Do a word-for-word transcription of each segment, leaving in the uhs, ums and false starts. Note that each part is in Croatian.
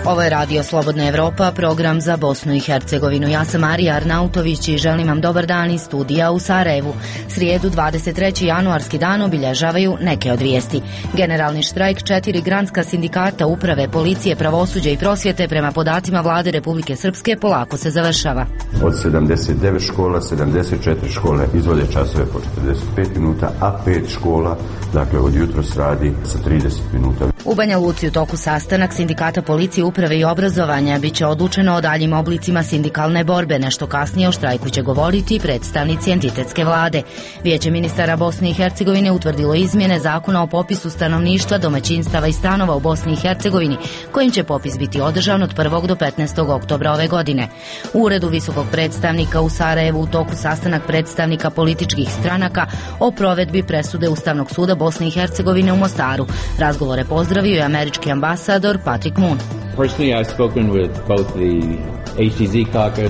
Ovo je Radio Slobodna Evropa, program za Bosnu i Hercegovinu. Ja sam Marija Arnautović i želim vam dobar dan iz studija u Sarajevu. Srijedu dvadeset treći januarski dan obilježavaju neke od vijesti. Generalni štrajk četiri granska sindikata uprave, policije, pravosuđa i prosvjete prema podacima vlade Republike Srpske polako se završava. Od sedamdeset devet škola, sedamdeset četiri škole izvode časove po četrdeset pet minuta, a pet škola, dakle od jutros radi sa trideset minuta. U Banja Luci u toku sastanak sindikata policije, uprave i obrazovanja biće odlučeno o daljim oblicima sindikalne borbe. Nešto kasnije o štrajku će govoriti predstavnici entitetske vlade. Vijeće ministara Bosne i Hercegovine utvrdilo izmjene zakona o popisu stanovništva, domaćinstava i stanova u Bosni i Hercegovini, kojim će popis biti održan od prvog do petnaestog oktobra ove godine. U uredu visokog predstavnika u Sarajevu u toku sastanak predstavnika političkih stranaka o provedbi presude Ustavnog suda Bosne i Hercegovine u Mostaru. Razgovore pozdravio je američki ambasador Patrick Moon.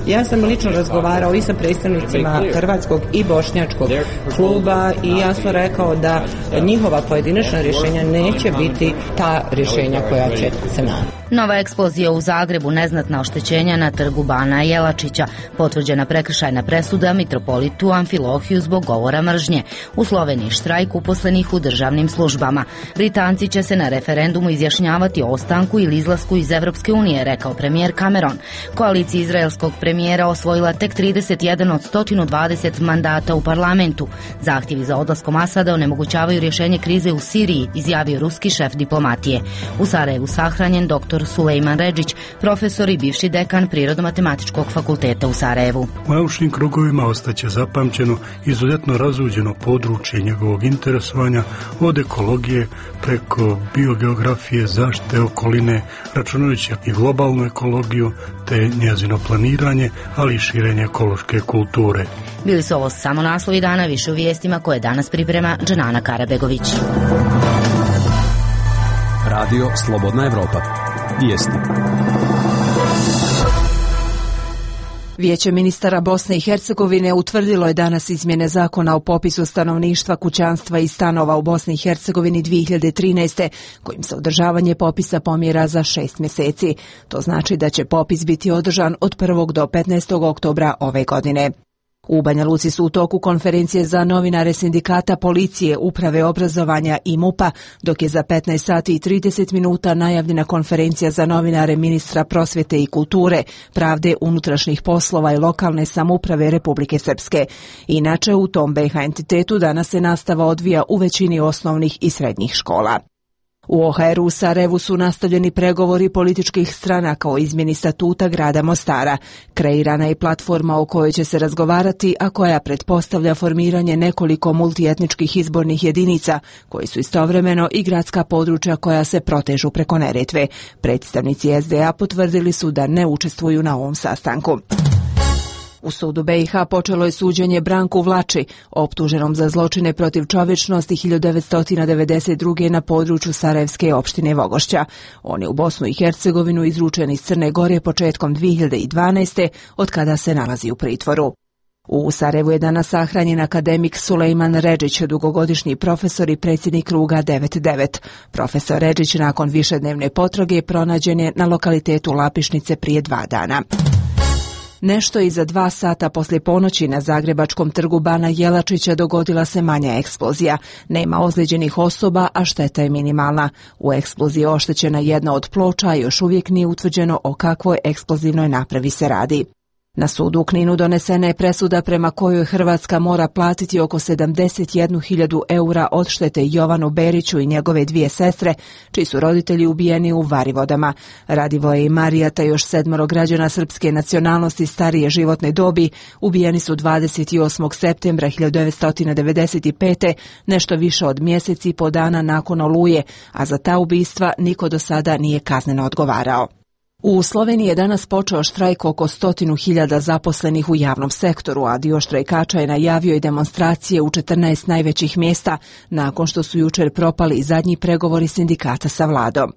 Ja sam lično razgovarao i sa predstavnicima hrvatskog i bošnjačkog kluba i jasno rekao da njihova pojedinačna rješenja neće biti ta rješenja koja će se naći. Nova eksplozija u Zagrebu, neznatna oštećenja na trgu Bana Jelačića, potvrđena prekršajna presuda mitropolitu Amfilohiju zbog govora mržnje. U Sloveniji štrajk uposlenih u državnim službama. Britanci će se na referendumu izjašnjavati o ostanku ili izlasku iz Evropske unije, rekao premijer Cameron. Koalicija izraelskog premijera osvojila tek trideset jedan od sto dvadeset mandata u parlamentu. Zahtjevi za odlaskom Asada onemogućavaju rješenje krize u Siriji, izjavio ruski šef diplomatije. U Sarajevu sahranjen doktor Sulejman Redžić, profesor i bivši dekan Prirodno-matematičkog fakulteta u Sarajevu. U naučnim krugovima ostaće zapamćeno izuzetno razuđeno područje njegovog interesovanja, od ekologije preko biogeografije, zaštite okoline, računajući i globalnu ekologiju te njezino planiranje, ali i širenje ekološke kulture. Bili su ovo samo naslovi dana, više u vijestima koje danas priprema Džanana Karabegović. Radio Slobodna Evropa. Vijesti. Vijeće ministara Bosne i Hercegovine utvrdilo je danas izmjene zakona o popisu stanovništva, kućanstva i stanova u Bosni i Hercegovini dvije hiljade trinaeste, kojim se održavanje popisa pomjera za šest mjeseci. To znači da će popis biti održan od prvog do petnaestog oktobra ove godine. U Banja Luci su u toku konferencije za novinare sindikata policije, uprave obrazovanja i MUP-a, dok je za petnaest sati i trideset minuta najavljena konferencija za novinare ministra prosvjete i kulture, pravde, unutrašnjih poslova i lokalne samouprave Republike Srpske. Inače, u tom B iH entitetu danas se nastava odvija u većini osnovnih i srednjih škola. U O H R-u u Sarajevu su nastavljeni pregovori političkih stranaka o izmjeni statuta grada Mostara. Kreirana je platforma o kojoj će se razgovarati, a koja pretpostavlja formiranje nekoliko multietničkih izbornih jedinica, koji su istovremeno i gradska područja koja se protežu preko Neretve. Predstavnici S D A potvrdili su da ne učestvuju na ovom sastanku. U sudu B iH počelo je suđenje Branku Vlači, optuženom za zločine protiv čovječnosti hiljadu devetsto devedeset druge na području Sarajevske opštine Vogošća. On je u Bosnu i Hercegovinu izručen iz Crne Gore početkom dvije hiljade dvanaeste, od kada se nalazi u pritvoru. U Sarajevu je danas sahranjen akademik Sulejman Redžić, dugogodišnji profesor i predsjednik kruga devet devet. Profesor Redžić nakon višednevne potrage pronađen je na lokalitetu Lapišnice prije dva dana. Nešto iza dva sata poslije ponoći na zagrebačkom trgu Bana Jelačića dogodila se manja eksplozija. Nema ozlijeđenih osoba, a šteta je minimalna. U eksploziji je oštećena jedna od ploča, a još uvijek nije utvrđeno o kakvoj eksplozivnoj napravi se radi. Na sudu u Kninu donesena je presuda prema kojoj Hrvatska mora platiti oko sedamdeset jednu hiljadu eura odštete Jovanu Beriću i njegove dvije sestre, čiji su roditelji ubijeni u Varivodama. Radivoje i Marija, te još sedmoro građana srpske nacionalnosti starije životne dobi, ubijeni su dvadeset osmog septembra hiljadu devetsto devedeset pete, nešto više od mjesec i po dana nakon Oluje, a za ta ubistva niko do sada nije kazneno odgovarao. U Sloveniji je danas počeo štrajk oko stotinu hiljada zaposlenih u javnom sektoru, a dio štrajkača je najavio i demonstracije u četrnaest najvećih mjesta, nakon što su jučer propali zadnji pregovori sindikata sa vladom.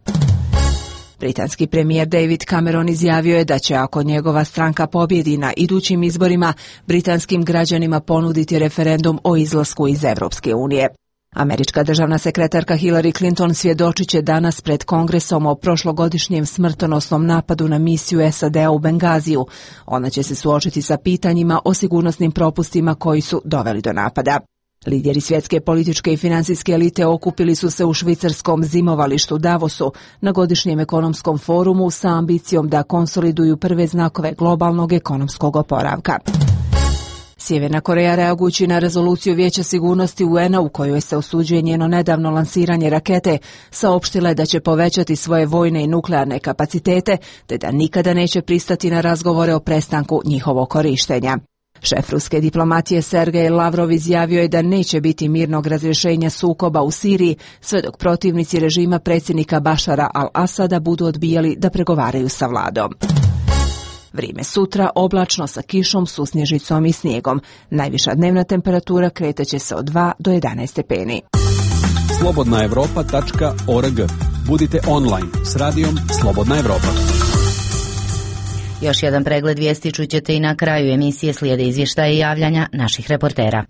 Britanski premijer David Cameron izjavio je da će, ako njegova stranka pobjedi na idućim izborima, britanskim građanima ponuditi referendum o izlasku iz Evropske unije. Američka državna sekretarka Hillary Clinton svjedočit će danas pred Kongresom o prošlogodišnjem smrtonosnom napadu na misiju S A D-a u Bengaziju. Ona će se suočiti sa pitanjima o sigurnosnim propustima koji su doveli do napada. Lideri svjetske političke i financijske elite okupili su se u švicarskom zimovalištu Davosu na godišnjem ekonomskom forumu sa ambicijom da konsoliduju prve znakove globalnog ekonomskog oporavka. Sjeverna Koreja, reagujući na rezoluciju Vijeća sigurnosti U N-a u kojoj se osuđuje njeno nedavno lansiranje rakete, saopštila je da će povećati svoje vojne i nuklearne kapacitete, te da nikada neće pristati na razgovore o prestanku njihovog korištenja. Šef ruske diplomatije Sergej Lavrov izjavio je da neće biti mirnog razrješenja sukoba u Siriji sve dok protivnici režima predsjednika Bašara al-Asada budu odbijali da pregovaraju sa vladom. Vrijeme sutra oblačno sa kišom, susnježicom i snijegom. Najviša dnevna temperatura kretaće se od dva do jedanaest stepeni. slobodna europa tačka org. Budite online s radijom Slobodna Evropa. Još jedan pregled vijesti čućete i na kraju emisije, slijede izvještaje i javljanja naših reportera.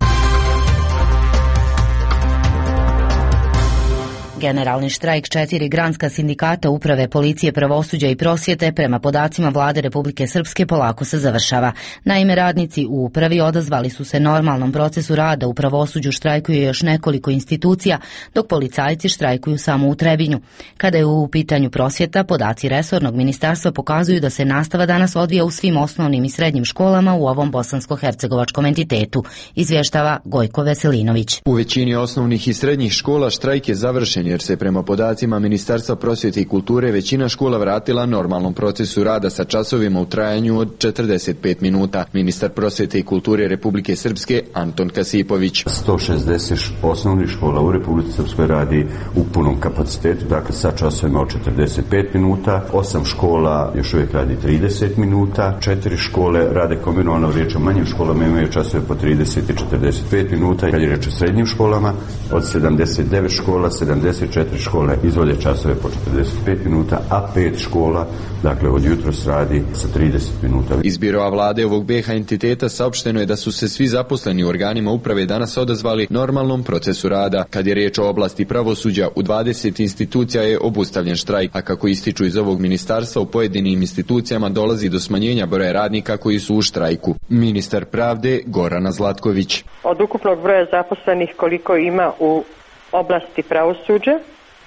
Generalni štrajk četiri granska sindikata uprave, policije, pravosuđa i prosvjete prema podacima vlade Republike Srpske polako se završava. Naime, radnici u upravi odazvali su se normalnom procesu rada, u pravosuđu štrajkuju još nekoliko institucija, dok policajci štrajkuju samo u Trebinju. Kada je u pitanju prosvjeta, podaci resornog ministarstva pokazuju da se nastava danas odvija u svim osnovnim i srednjim školama u ovom bosansko-hercegovačkom entitetu, izvještava Gojko Veselinović. U većini osnovnih i srednjih škola štrajk je završen, jer se prema podacima Ministarstva prosvjete i kulture većina škola vratila normalnom procesu rada sa časovima u trajanju od četrdeset pet minuta. Ministar prosvjete i kulture Republike Srpske Anton Kasipović. sto šezdeset osnovnih škola u Republici Srpskoj radi u punom kapacitetu, dakle sa časovima od četrdeset pet minuta, osam škola još uvijek radi trideset minuta, četiri škole rade kombinovano, riječ o manjim školama imaju časove po trideset i četrdeset pet minuta. Kad je riječ o srednjim školama, od sedamdeset devet škola, sedamdeset četiri škole izvode časove po četrdeset pet minuta, a pet škola, dakle od jutros radi sa trideset minuta. Iz birova vlade ovog B iH entiteta saopšteno je da su se svi zaposleni u organima uprave danas odazvali normalnom procesu rada. Kad je riječ o oblasti pravosuđa, u dvadeset institucija je obustavljen štrajk, a kako ističu iz ovog ministarstva, u pojedinim institucijama dolazi do smanjenja broja radnika koji su u štrajku. Ministar pravde Gorana Zlatković. Od ukupnog broja zaposlenih koliko ima u oblasti pravosuđa,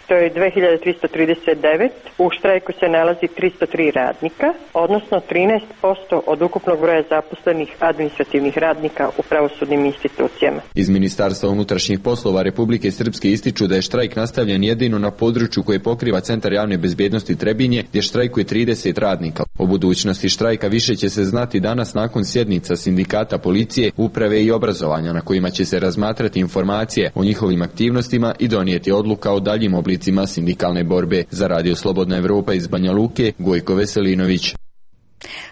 to je dve hiljade tristo trideset devet, u štrajku se nalazi tristo tri radnika, odnosno trinaest posto od ukupnog broja zaposlenih administrativnih radnika u pravosudnim institucijama. Iz Ministarstva unutrašnjih poslova Republike Srpske ističu da je štrajk nastavljen jedino na području koje pokriva Centar javne bezbednosti Trebinje, gdje štrajkuje trideset radnika. O budućnosti štrajka više će se znati danas nakon sjednica sindikata policije, uprave i obrazovanja, na kojima će se razmatrati informacije o njihovim aktivnostima i donijeti odluka o daljim oblicima sindikalne borbe. Za Radio Slobodna Evropa iz Banja Luke, Gojko Veselinović.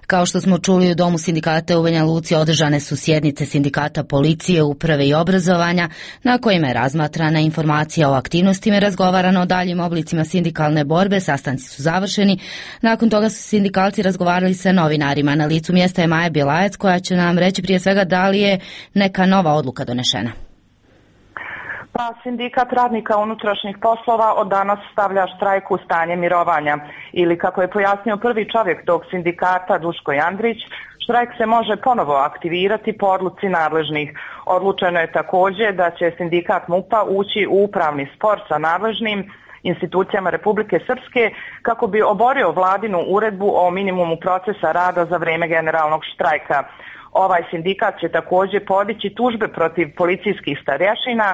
Kao što smo čuli, u Domu sindikata u Banja Luci održane su sjednice sindikata policije, uprave i obrazovanja, na kojima je razmatrana informacija o aktivnostima i razgovarano o daljim oblicima sindikalne borbe. Sastanci su završeni. Nakon toga su sindikalci razgovarali sa novinarima. Na licu mjesta je Maja Bjelajac, koja će nam reći prije svega da li je neka nova odluka donešena. Pa sindikat radnika unutrašnjih poslova od danas stavlja štrajk u stanje mirovanja, ili kako je pojasnio prvi čovjek tog sindikata Duško Jandrić, štrajk se može ponovo aktivirati po odluci nadležnih. Odlučeno je također da će sindikat MUP-a ući u upravni spor sa nadležnim institucijama Republike Srpske kako bi oborio vladinu uredbu o minimumu procesa rada za vrijeme generalnog štrajka. Ovaj sindikat će također podići tužbe protiv policijskih starješina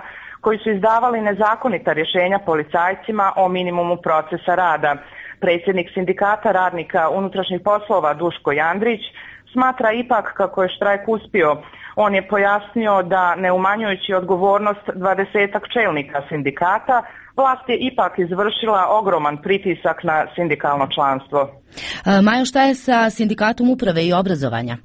koji su izdavali nezakonita rješenja policajcima o minimumu procesa rada. Predsjednik sindikata radnika unutrašnjih poslova Duško Jandrić smatra ipak kako je štrajk uspio. On je pojasnio da, ne umanjujući odgovornost dvadesetak čelnika sindikata, vlast je ipak izvršila ogroman pritisak na sindikalno članstvo. Majo, šta je sa sindikatom uprave i obrazovanja?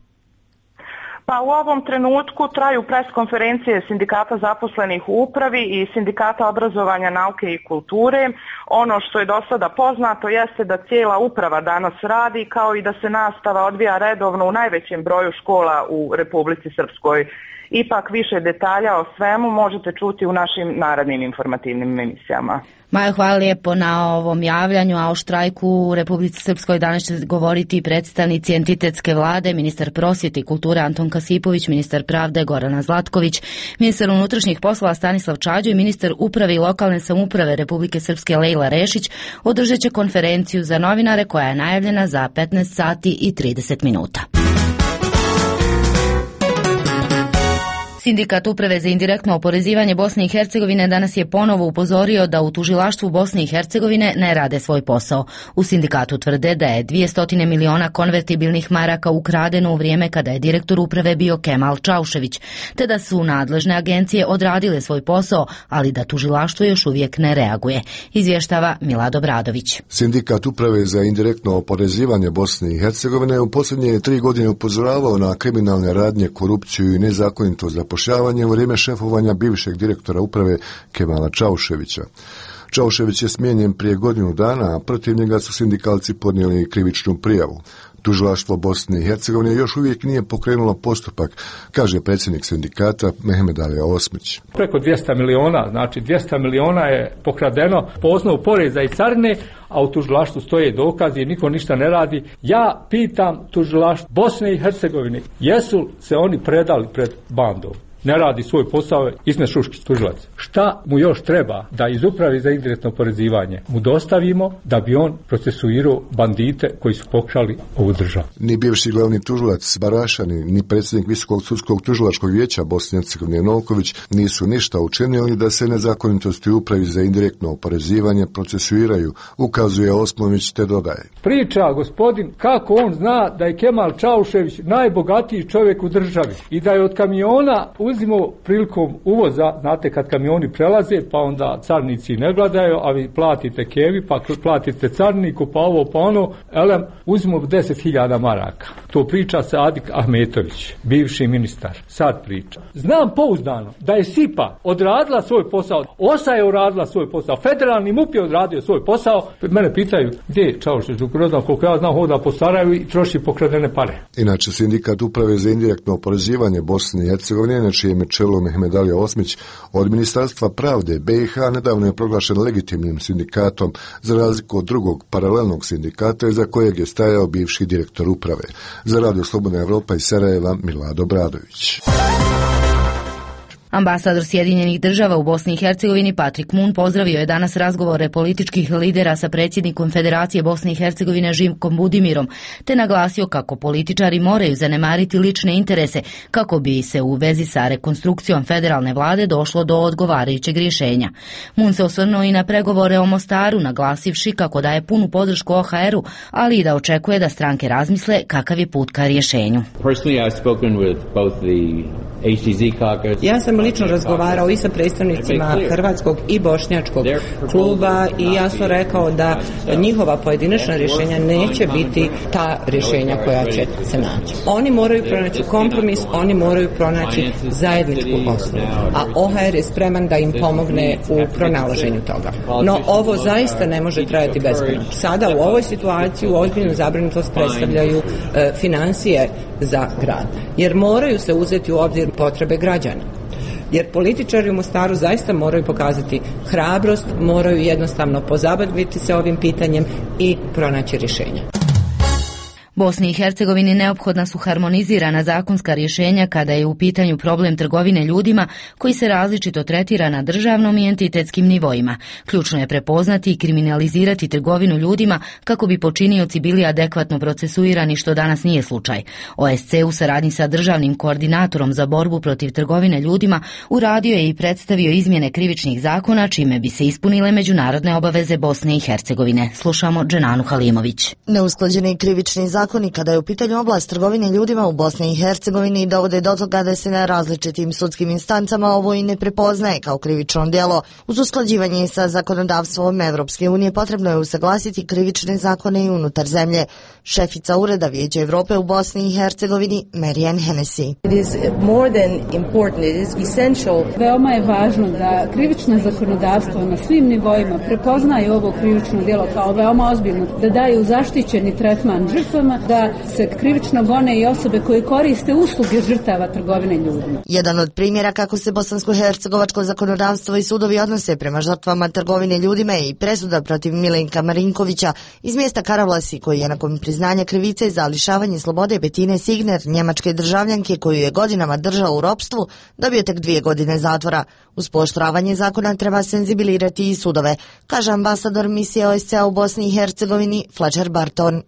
Pa u ovom trenutku traju preskonferencije sindikata zaposlenih u upravi i sindikata obrazovanja, nauke i kulture. Ono što je do sada poznato jeste da cijela uprava danas radi, kao i da se nastava odvija redovno u najvećem broju škola u Republici Srpskoj. Ipak više detalja o svemu možete čuti u našim narednim informativnim emisijama. Majo, hvala lijepo na ovom javljanju, a o štrajku u Republici Srpskoj danas će govoriti predstavnici entitetske vlade, ministar prosvjete i kulture Anton Kasipović, ministar pravde Gorana Zlatković, ministar unutrašnjih poslova Stanislav Čađo i ministar uprave i lokalne samouprave Republike Srpske Lejla Rešić održat će konferenciju za novinare koja je najavljena za petnaest sati i trideset minuta. Sindikat uprave za indirektno oporezivanje Bosne i Hercegovine danas je ponovo upozorio da u tužilaštvu Bosne i Hercegovine ne rade svoj posao. U sindikatu tvrde da je dvjesto miliona konvertibilnih maraka ukradeno u vrijeme kada je direktor uprave bio Kemal Čaušević, te da su nadležne agencije odradile svoj posao, ali da tužilaštvo još uvijek ne reaguje. Izvještava Milado Bradović. Sindikat uprave za indirektno oporezivanje Bosne i Hercegovine u posljednje tri godine upozoravao na kriminalne radnje, korupciju i nezakonito zapošljavanje u vrijeme šefovanja bivšeg direktora uprave Kemala Čauševića. Čaušević je smijenjen prije godinu dana, a protiv njega su sindikalci podnijeli krivičnu prijavu. Tužilaštvo Bosne i Hercegovine još uvijek nije pokrenulo postupak, kaže predsjednik sindikata Mehmed Alija Osmić. Preko dvjesto miliona, znači dvjesto miliona je pokradeno po osnovu poreza i carine, a u tužilaštvu stoje dokazi i niko ništa ne radi. Ja pitam tužilaštvo Bosne i Hercegovine, jesu se oni predali pred bandom? Ne radi svoj posao, Ismet Šuškić, tužilac. Šta mu još treba da iz uprave za indirektno oporezivanje mu dostavimo da bi on procesuirao bandite koji su pokrali ovu državu? Ni bivši glavni tužilac Barašani, ni predsjednik Visokog sudskog tužilačkog vijeća Bosne i Hercegovine Novković nisu ništa učinili da se nezakonitosti u upravi za indirektno oporezivanje procesuiraju, ukazuje Osmović te dodaje. Priča gospodin kako on zna da je Kemal Čaušević najbogatiji čovjek u državi i da je od kamiona uzimo prilikom uvoza, znate kad kamioni prelaze, pa onda carnici ne gledaju, a vi platite kevi, pa platite carniku, pa ovo, pa ono, elem, uzimo deset hiljada maraka. To priča Sadik Ahmetović, bivši ministar, sad priča. Znam pouzdano da je SIPA odradila svoj posao, OSA je odradila svoj posao, federalni MUP je odradio svoj posao. Mene pitaju, gdje je Čaušević, ne znam koliko ja znam, hoda po Sarajevu i troši pokradene pare. Inače, sindikat uprave za indirektno oporezivanje Bosne i Hercegovine, na čijem je čelu Mehmed Alija Osmić, od Ministarstva pravde B i H nedavno je proglašen legitimnim sindikatom za razliku od drugog paralelnog sindikata za kojeg je stajao bivši direktor uprave. Za Radio Slobodna Evropa iz Sarajeva, Milado Bradović. Ambasador Sjedinjenih država u Bosni i Hercegovini Patrik Mun pozdravio je danas razgovore političkih lidera sa predsjednikom Federacije Bosne i Hercegovine Živkom Budimirom, te naglasio kako političari moraju zanemariti lične interese kako bi se u vezi sa rekonstrukcijom federalne vlade došlo do odgovarajućeg rješenja. Mun se osvrnuo i na pregovore o Mostaru, naglasivši kako daje punu podršku O H R-u, ali i da očekuje da stranke razmisle kakav je put ka rješenju. Ja sam lično razgovarao i sa predstavnicima hrvatskog i bošnjačkog kluba i jasno rekao da njihova pojedinačna rješenja neće biti ta rješenja koja će se naći. Oni moraju pronaći kompromis, oni moraju pronaći zajedničku osnovu, a O H R je spreman da im pomogne u pronalaženju toga. No ovo zaista ne može trajati bezbedno. Sada u ovoj situaciji ozbiljnu zabrinutost predstavljaju e, financije za grad, jer moraju se uzeti u obzir potrebe građana. Jer političari u Mostaru zaista moraju pokazati hrabrost, moraju jednostavno pozabaviti se ovim pitanjem i pronaći rješenja. Bosni i Hercegovini neophodna su harmonizirana zakonska rješenja kada je u pitanju problem trgovine ljudima koji se različito tretira na državnom i entitetskim nivoima. Ključno je prepoznati i kriminalizirati trgovinu ljudima kako bi počinioci bili adekvatno procesuirani, što danas nije slučaj. O S C u saradnji sa državnim koordinatorom za borbu protiv trgovine ljudima uradio je i predstavio izmjene krivičnih zakona čime bi se ispunile međunarodne obaveze Bosne i Hercegovine. Slušamo Dženanu Halimović. Neusklađeni krivični zakon zakoni kada je u pitanju oblast trgovine ljudima u Bosni i Hercegovini dovode do toga da se na različitim sudskim instancama ovo i ne prepoznaje kao krivično djelo. Uz usklađivanje sa zakonodavstvom Evropske unije potrebno je usaglasiti krivične zakone i unutar zemlje. Šefica Ureda Vijeća Evrope u Bosni i Hercegovini, Marijan Hennessy. Veoma je važno da krivično zakonodavstvo na svim nivoima prepoznaje ovo krivično djelo kao veoma ozbiljno, da daju zaštićeni tretman žrtvama, da se krivično gone i osobe koje koriste usluge žrtava trgovine ljudima. Jedan od primjera kako se bosansko-hercegovačko zakonodavstvo i sudovi odnose prema žrtvama trgovine ljudima je i presuda protiv Milenka Marinkovića iz mjesta Karavlasi, koji je nakon priznanja krivice za lišavanje slobode Betine Signer, njemačke državljanke koju je godinama držao u ropstvu, dobio tek dvije godine zatvora. Uz pooštravanje zakona treba senzibilirati i sudove, kaže ambasador misije O S C A u Bosni i Hercegovini Fletcher Barton.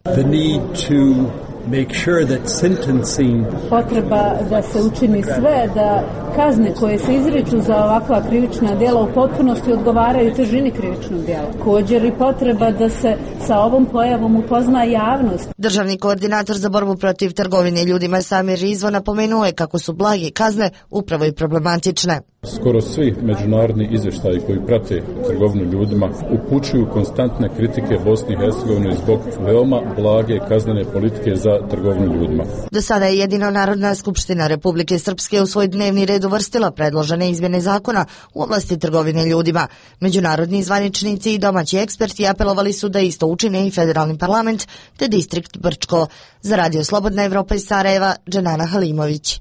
Make sure that sentencing... Potreba da se učini sve da kazne koje se izriču za ovakva krivična djela u potpunosti odgovaraju težini krivičnog djela. Također i potreba da se sa ovom pojavom upozna javnost. Državni koordinator za borbu protiv trgovine ljudima Samir Rizvo napomenuo je kako su blage kazne upravo i problematične. Skoro svi međunarodni izvještaji koji prate trgovinu ljudima upućuju konstantne kritike Bosni i Hercegovine zbog veoma blage kaznene politike za trgovinu ljudima. Do sada je jedino Narodna skupština Republike Srpske u svoj dnevni red uvrstila predložene izmjene zakona u oblasti trgovine ljudima. Međunarodni zvaničnici i domaći eksperti apelovali su da isto učine i federalni parlament te distrikt Brčko. Za Radio Slobodna Evropa iz Sarajeva, Dženana Halimović.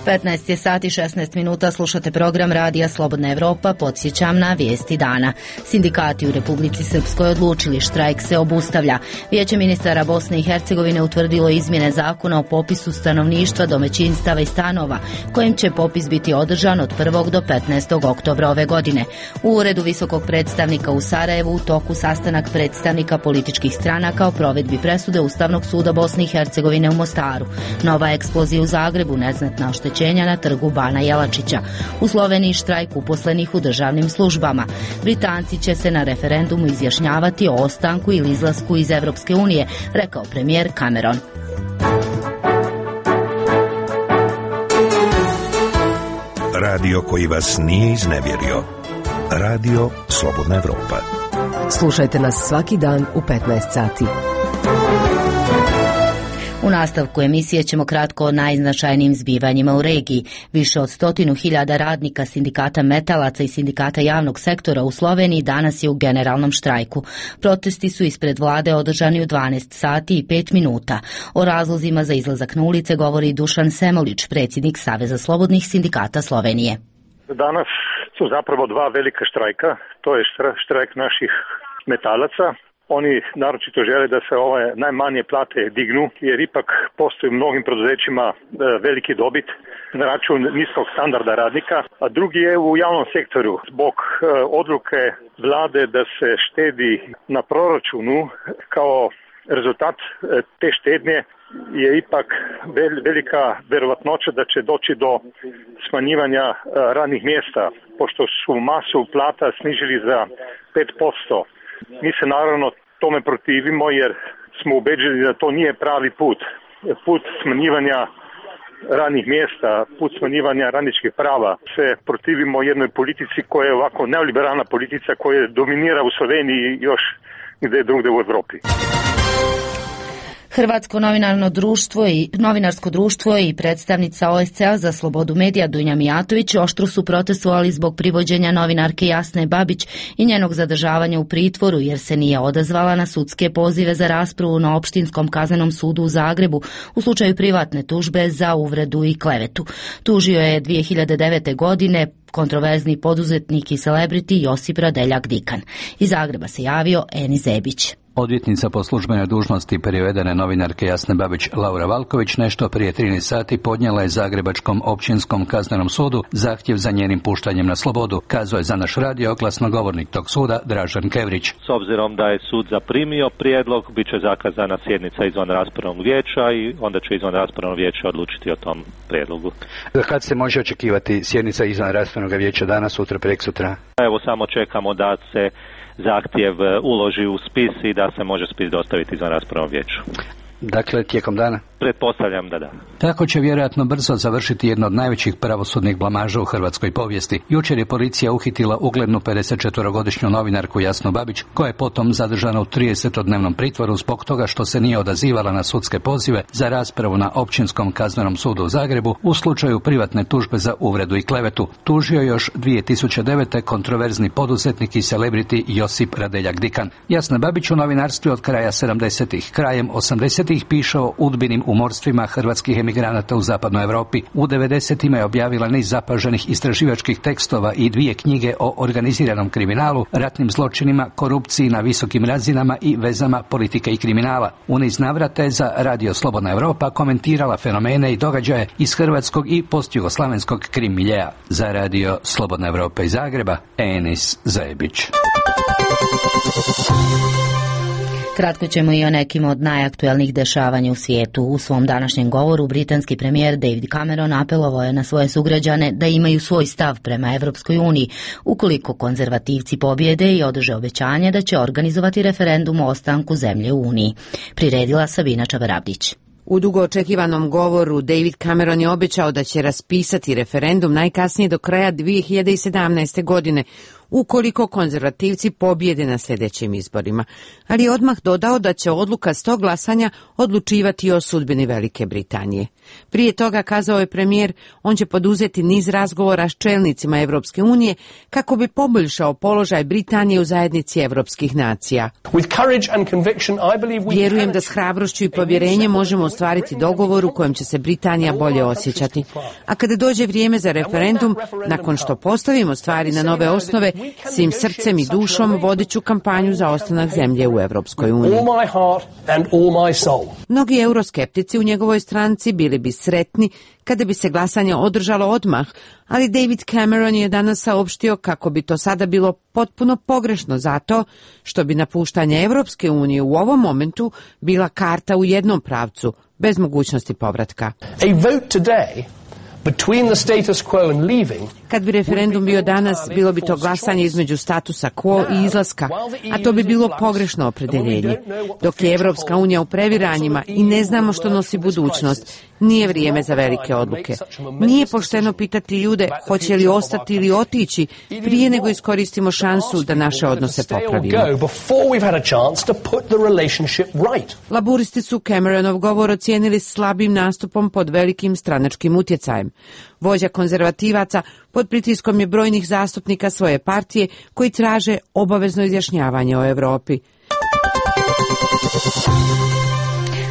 petnaest je sati šesnaest minuta, slušate program Radija Slobodna Evropa, podsjećam na vijesti dana. Sindikati u Republici Srpskoj odlučili, štrajk se obustavlja. Vijeće ministara Bosne i Hercegovine utvrdilo izmjene zakona o popisu stanovništva, domaćinstava i stanova, kojim će popis biti održan od prvog do petnaestog oktobra ove godine. U uredu visokog predstavnika u Sarajevu u toku sastanak predstavnika političkih stranaka o provedbi presude Ustavnog suda Bosne i Hercegovine u Mostaru. Nova eksplozija u Zagrebu, neznatna oštećenja na trgu Bana Jelačića. U Sloveniji štrajk uposlenih u državnim službama. Britanci će se na referendumu izjašnjavati o ostanku ili izlasku iz Evropske unije, rekao premijer Cameron. Radio koji vas nije iznevjerio. Radio Slobodna Evropa. Slušajte nas svaki dan u petnaest sati. U nastavku emisije ćemo kratko o najznačajnijim zbivanjima u regiji. Više od stotinu hiljada radnika sindikata metalaca i sindikata javnog sektora u Sloveniji danas je u generalnom štrajku. Protesti su ispred vlade održani u dvanaest sati i pet minuta. O razlozima za izlazak na ulice govori Dušan Semolić, predsjednik Saveza slobodnih sindikata Slovenije. Danas su zapravo dva velika štrajka. To je štrajk naših metalaca. Oni naročito žele da se ove najmanje plate dignu, jer ipak postoji u mnogim poduzećima veliki dobit na račun niskog standarda radnika, a drugi je u javnom sektoru. Zbog odluke vlade da se štedi na proračunu, kao rezultat te štednje je ipak velika verovatnoća da će doći do smanjivanja radnih mjesta, pošto su masu plata snižili za pet posto. Mi se naravno tome protivimo jer smo ubeđeni da to nije pravi put. Put smanjivanja radnih mjesta, put smanjivanja radničkih prava. Se protivimo jednoj politici koja je ovako neoliberalna politika koja dominira u Sloveniji i još gdje drugdje u Evropi. Hrvatsko novinarno društvo i novinarsko društvo i predstavnica O S C A za slobodu medija Dunja Mijatović oštro su protestovali zbog privođenja novinarke Jasne Babić i njenog zadržavanja u pritvoru jer se nije odazvala na sudske pozive za raspravu na Opštinskom kaznenom sudu u Zagrebu u slučaju privatne tužbe za uvredu i klevetu. Tužio je dvije hiljade devete. godine kontroverzni poduzetnik i celebrity Josip Radeljak Dikan. Iz Zagreba se javio Eni Zebić. Odvjetnica po službenoj dužnosti privedene novinarke Jasne Babić Laura Valković nešto prije trinaest sati podnijela je Zagrebačkom općinskom kaznenom sudu zahtjev za njenim puštanjem na slobodu, kazao je za naš radio glasnogovornik tog suda Dražen Kevrić. S obzirom da je sud zaprimio prijedlog, bit će zakazana sjednica izvan raspravnog vijeća i onda će izvan raspravnog vijeća odlučiti o tom prijedlogu. Kad se može očekivati sjednica izvan raspravnog vijeća, danas, sutra, preksutra? Evo samo čekamo da se zahtjev uloži u spis i da se može spis dostaviti izvan raspravnom vijeću. Dakle, tijekom dana? Pretpostavljam da da. Tako će vjerojatno brzo završiti jedno od najvećih pravosudnih blamaža u hrvatskoj povijesti. Jučer je policija uhitila uglednu pedesetčetverogodišnju novinarku Jasnu Babić, koja je potom zadržana u tridesetodnevnom pritvoru zbog toga što se nije odazivala na sudske pozive za raspravu na Općinskom kaznenom sudu u Zagrebu u slučaju privatne tužbe za uvredu i klevetu. Tužio još dvije tisuće devete. kontroverzni poduzetnik i celebrity Josip Radeljak Dikan. Jasna Babić u novinarstvu od kraja sedamdesetih. Krajem osamdesetih piše o udbinim umorstvima hrvatskih emigranata u zapadnoj Europi. U devedesetima je objavila niz zapaženih istraživačkih tekstova i dvije knjige o organiziranom kriminalu, ratnim zločinima, korupciji na visokim razinama i vezama politike i kriminala. U niz navrata je za Radio Slobodna Europa komentirala fenomene i događaje iz hrvatskog i postjugoslavenskog krim miljea. Za Radio Slobodna Europa iz Zagreba, Enis Zajebić. Kratko ćemo i o nekim od najaktuelnijih dešavanja u svijetu. U svom današnjem govoru britanski premijer David Cameron apelovao je na svoje sugrađane da imaju svoj stav prema Evropskoj uniji, ukoliko konzervativci pobjede i održe obećanje da će organizovati referendum o ostanku zemlje u Uniji. Priredila Sabina Čavarabdić. U dugo očekivanom govoru David Cameron je obećao da će raspisati referendum najkasnije do kraja dvije hiljade sedamnaeste. godine, ukoliko konzervativci pobjede na sljedećim izborima, ali je odmah dodao da će odluka s tog glasanja odlučivati o sudbini Velike Britanije. Prije toga, kazao je premijer, on će poduzeti niz razgovora s čelnicima Evropske unije kako bi poboljšao položaj Britanije u zajednici evropskih nacija. Vjerujem da s hrabrošću i povjerenjem možemo ostvariti dogovor u kojem će se Britanija bolje osjećati. A kada dođe vrijeme za referendum, nakon što postavimo stvari na nove osnove, svim srcem i dušom vodit ću kampanju za ostanak zemlje u Evropskoj uniji. Mnogi euroskeptici u njegovoj stranci bili bi sretni kada bi se glasanje održalo odmah, ali David Cameron je danas saopštio kako bi to sada bilo potpuno pogrešno zato što bi napuštanje Evropske unije u ovom momentu bila karta u jednom pravcu, bez mogućnosti povratka. A vote today between the status quo and leaving. Kad bi referendum bio danas, bilo bi to glasanje između statusa quo i izlaska, a to bi bilo pogrešno opredeljenje. Dok je Evropska unija u previranjima i ne znamo što nosi budućnost, nije vrijeme za velike odluke. Nije pošteno pitati ljude hoće li ostati ili otići prije nego iskoristimo šansu da naše odnose popravimo. Laburisti su Cameronov govor ocijenili slabim nastupom pod velikim stranačkim utjecajem. Vođa konzervativaca pod pritiskom je brojnih zastupnika svoje partije koji traže obavezno izjašnjavanje o Europi.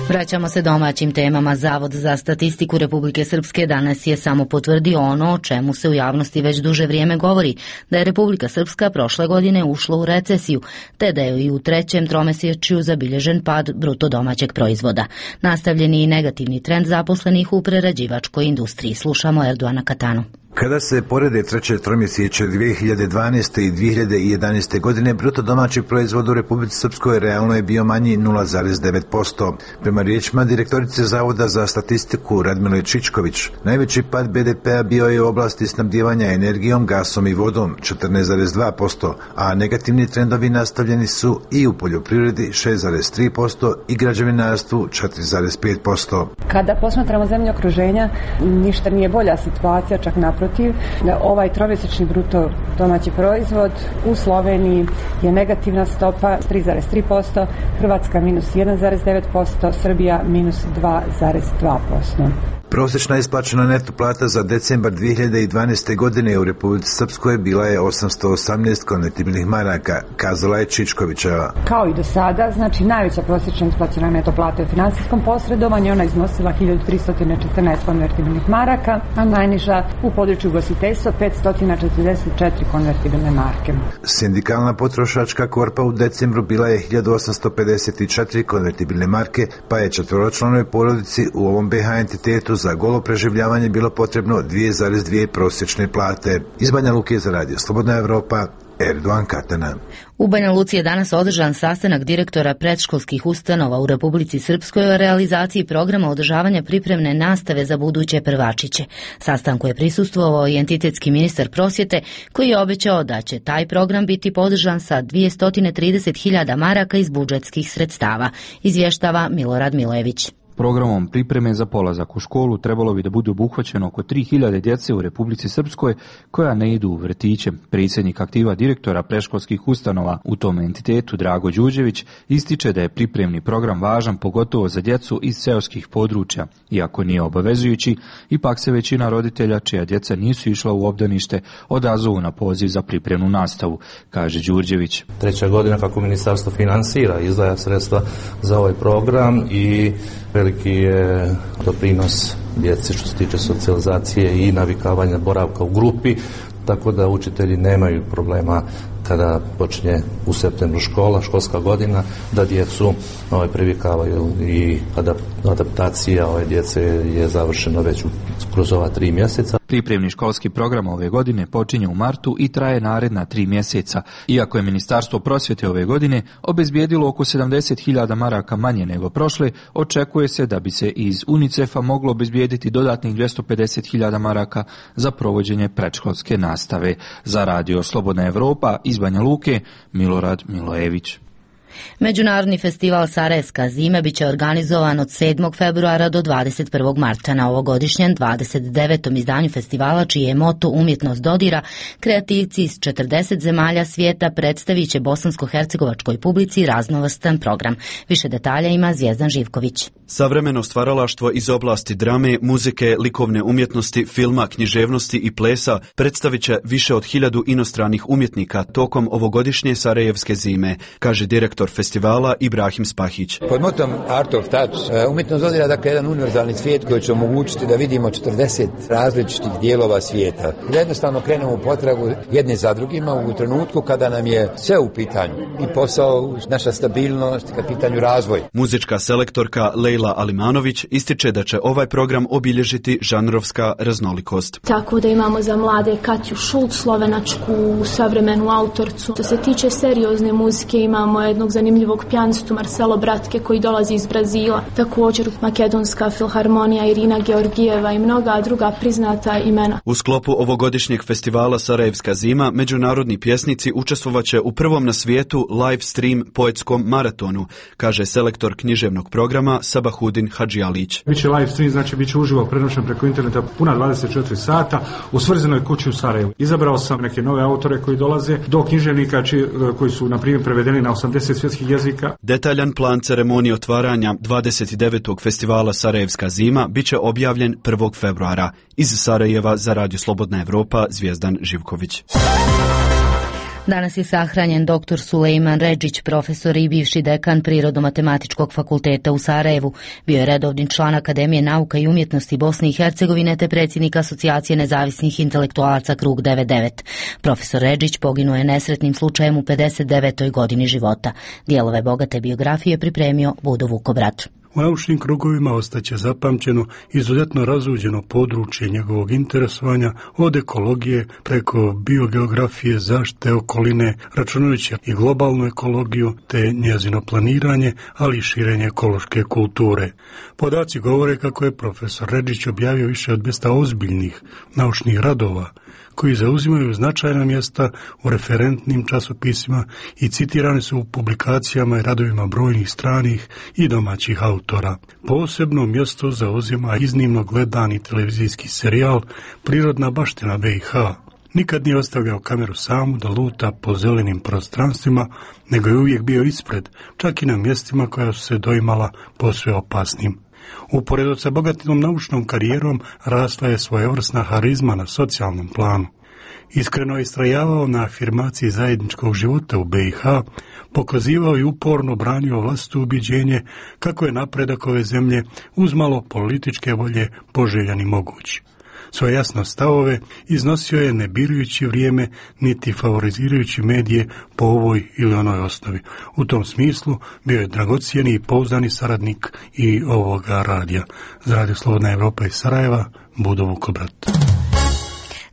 Vraćamo se domaćim temama. Zavod za statistiku Republike Srpske danas je samo potvrdio ono o čemu se u javnosti već duže vrijeme govori, da je Republika Srpska prošle godine ušla u recesiju, te da je i u trećem tromesečju zabilježen pad bruto domaćeg proizvoda. Nastavljen je i negativni trend zaposlenih u prerađivačkoj industriji. Slušamo Erdoana Katanu. Kada se porede treće tromjesečje dvije hiljade dvanaeste. i dvije hiljade jedanaeste. godine, bruto domaći proizvod u Republici Srpskoj realno je bio manji nula zarez devet posto. Prema riječima direktorice Zavoda za statistiku Radmile Čičković, najveći pad be de pea bio je u oblasti snabdijevanja energijom, gasom i vodom četrnaest zarez dva posto, a negativni trendovi nastavljeni su i u poljoprivredi šest zarez tri posto i građevinarstvu četiri zarez pet posto. Kada posmatramo zemlje okruženja, ništa nije bolja situacija, čak naprotiv. Da ovaj tromjesečni bruto domaći proizvod u Sloveniji je negativna stopa tri zarez tri posto, Hrvatska minus jedan zarez devet posto, Srbija minus dva zarez dva posto. Prosječna isplaćena neto plata za decembar dvije hiljade dvanaeste. godine u Republici Srpskoj bila je osamsto osamnaest konvertibilnih maraka, kazala je Čičkovićeva. Kao i do sada, znači najveća prosječna isplaćena neto plata u financijskom posredovanju, ona iznosila hiljadu tristo četrnaest konvertibilnih maraka, a najniža u području ugostiteljstva petsto četrdeset četiri konvertibilne marke. Sindikalna potrošačka korpa u decembru bila je hiljadu osamsto pedeset četiri konvertibilne marke, pa je četvoročlanoj porodici u ovom be ha entitetu za golo preživljavanje bilo potrebno dvije zarez dvije prosječne plate. Iz Banja Luke za Radio Slobodna Evropa, Erdogan Katana. U Banja Luci je danas održan sastanak direktora predškolskih ustanova u Republici Srpskoj o realizaciji programa održavanja pripremne nastave za buduće prvačiće. Sastanku je prisustvovao i entitetski ministar prosvjete koji je obećao da će taj program biti podržan sa dvjesto trideset hiljada maraka iz budžetskih sredstava, izvještava Milorad Milojević. Programom pripreme za polazak u školu trebalo bi da bude obuhvaćeno oko tri hiljade djece u Republici Srpskoj koja ne idu u vrtiće. Predsjednik aktiva direktora predškolskih ustanova u tom entitetu Drago Đuđević ističe da je pripremni program važan pogotovo za djecu iz seoskih područja. Iako nije obavezujući, ipak se većina roditelja čija djeca nisu išla u obdanište odazovu na poziv za pripremnu nastavu, kaže Đurđević. Treća godina kako ministarstvo finansira i izdvaja sredstva za ovaj program i veliki je doprinos djeci što se tiče socijalizacije i navikavanja boravka u grupi, tako da učitelji nemaju problema kada počinje u septembru škola, školska godina, da djecu ovaj, privikavaju i adaptacija ove djece je završena već kroz ova tri mjeseca. Pripremni školski program ove godine počinje u martu i traje naredna tri mjeseca. Iako je Ministarstvo prosvjete ove godine obezbijedilo oko sedamdeset hiljada maraka manje nego prošle, očekuje se da bi se iz UNICEF-a moglo obezbijediti dodatnih dvjesto pedeset hiljada maraka za provođenje predškolske nastave. Za Radio Slobodna Evropa iz Banja Luke, Milorad Milojević. Međunarodni festival Sarajevska zima biće organizovan od sedmog februara do dvadeset prvog marta. Na ovogodišnjem dvadeset devetom izdanju festivala, čiji je moto Umjetnost dodira, kreativci iz četrdeset zemalja svijeta predstavit će bosansko-hercegovačkoj publici raznovrstan program. Više detalja ima Zvijezdan Živković. Savremeno stvaralaštvo iz oblasti drame, muzike, likovne umjetnosti, filma, književnosti i plesa predstavit će više od hiljadu inostranih umjetnika tokom ovogodišnje Sarajevske zime, kaže direktor festivala Ibrahim Spahić. Pod motom Art of Touch umjetnost dodira dakle jedan univerzalni svijet koji će omogućiti da vidimo četrdeset različitih dijelova svijeta. Da jednostavno krenemo u potragu jedne za drugima u trenutku kada nam je sve u pitanju. I posao, naša stabilnost, kad pitanju razvoj. Muzička selektorka Lejla Alimanović ističe da će ovaj program obilježiti žanrovska raznolikost. Tako da imamo za mlade Katju Šult, slovenačku savremenu autorcu. Što se tiče seriozne muzike, imamo jednog zanimljivog pijanistu Marcelo Bratke koji dolazi iz Brazila. Također Makedonska filharmonija Irina Georgijeva i mnoga druga priznata imena. U sklopu ovogodišnjeg festivala Sarajevska zima međunarodni pjesnici učestvovaće u prvom na svijetu live stream poetskom maratonu, kaže selektor književnog programa Sabahudin Hadžijalić. Biće live stream, znači biće uživo prenošen preko interneta puna dvadeset četiri sata u Svrzenoj kući u Sarajevu. Izabrao sam neke nove autore koji dolaze, do književnika či, koji su na primjer prevedeni na osamdeset svjetskih jezika. Detaljan plan ceremonije otvaranja dvadeset devetog festivala Sarajevska zima biće objavljen prvog februara. Iz Sarajeva za Radio Slobodna Evropa, Zvijezdan Živković. Danas je sahranjen doktor Sulejman Redžić, profesor i bivši dekan Prirodno-matematičkog fakulteta u Sarajevu. Bio je redovni član Akademije nauka i umjetnosti Bosne i Hercegovine te predsjednik Asocijacije nezavisnih intelektualaca Krug devedeset devet. Profesor Redžić poginuo je nesretnim slučajem u pedeset devetoj godini života. Dijelove bogate biografije pripremio Budo Vukobrat. U naučnim krugovima ostaće zapamćeno izuzetno razuđeno područje njegovog interesovanja od ekologije preko biogeografije, zaštite okoline, računajući i globalnu ekologiju te njezino planiranje, ali i širenje ekološke kulture. Podaci govore kako je profesor Redžić objavio više od dvjesto ozbiljnih naučnih radova koji zauzimaju značajna mjesta u referentnim časopisima i citirani su u publikacijama i radovima brojnih stranih i domaćih autora. Posebno mjesto zauzima iznimno gledani televizijski serijal Prirodna baština B i H. Nikad nije ostavljao kameru samu da luta po zelenim prostranstvima, nego je uvijek bio ispred, čak i na mjestima koja su se doimala posve opasnim. Uporedo sa bogatom naučnom karijerom rasla je svojevrsna harizma na socijalnom planu. Iskreno je istrajavao na afirmaciji zajedničkog života u B i H, pokazivao i uporno branio vlastito ubjeđenje kako je napredak ove zemlje uz malo političke volje poželjan i moguć. Svoje jasno stavove iznosio je ne birujući vrijeme niti favorizirajući medije po ovoj ili onoj osnovi. U tom smislu bio je dragocijeni i pouzdani saradnik i ovoga radija. Za Radio Slobodna Evropa iz Sarajeva, Budo Vukobrat.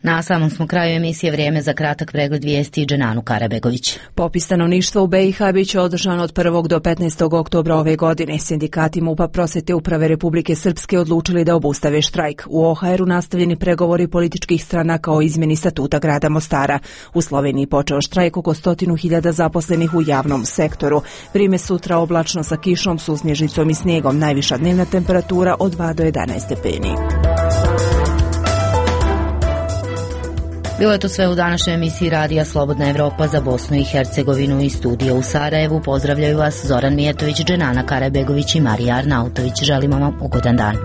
Na samom smo kraju emisije, vrijeme za kratak pregled vijesti i Dženanu Karabegović. Popis stanovništva u B i H biće održan od prvog do petnaestog oktobra ove godine. Sindikati MUP-a Prosvete uprave Republike Srpske odlučili da obustave štrajk. U O H R-u nastavljeni pregovori političkih stranaka o izmjeni statuta grada Mostara. U Sloveniji počeo štrajk oko stotinu hiljada zaposlenih u javnom sektoru. Vrijeme sutra oblačno sa kišom, susnježicom i snijegom. Najviša dnevna temperatura od dva do jedanaest stepeni. Bilo je to sve u današnjoj emisiji Radija Slobodna Evropa za Bosnu i Hercegovinu i studio u Sarajevu. Pozdravljaju vas Zoran Mijetović, Dženana Karabegović i Marija Arnautović. Želimo vam ugodan dan.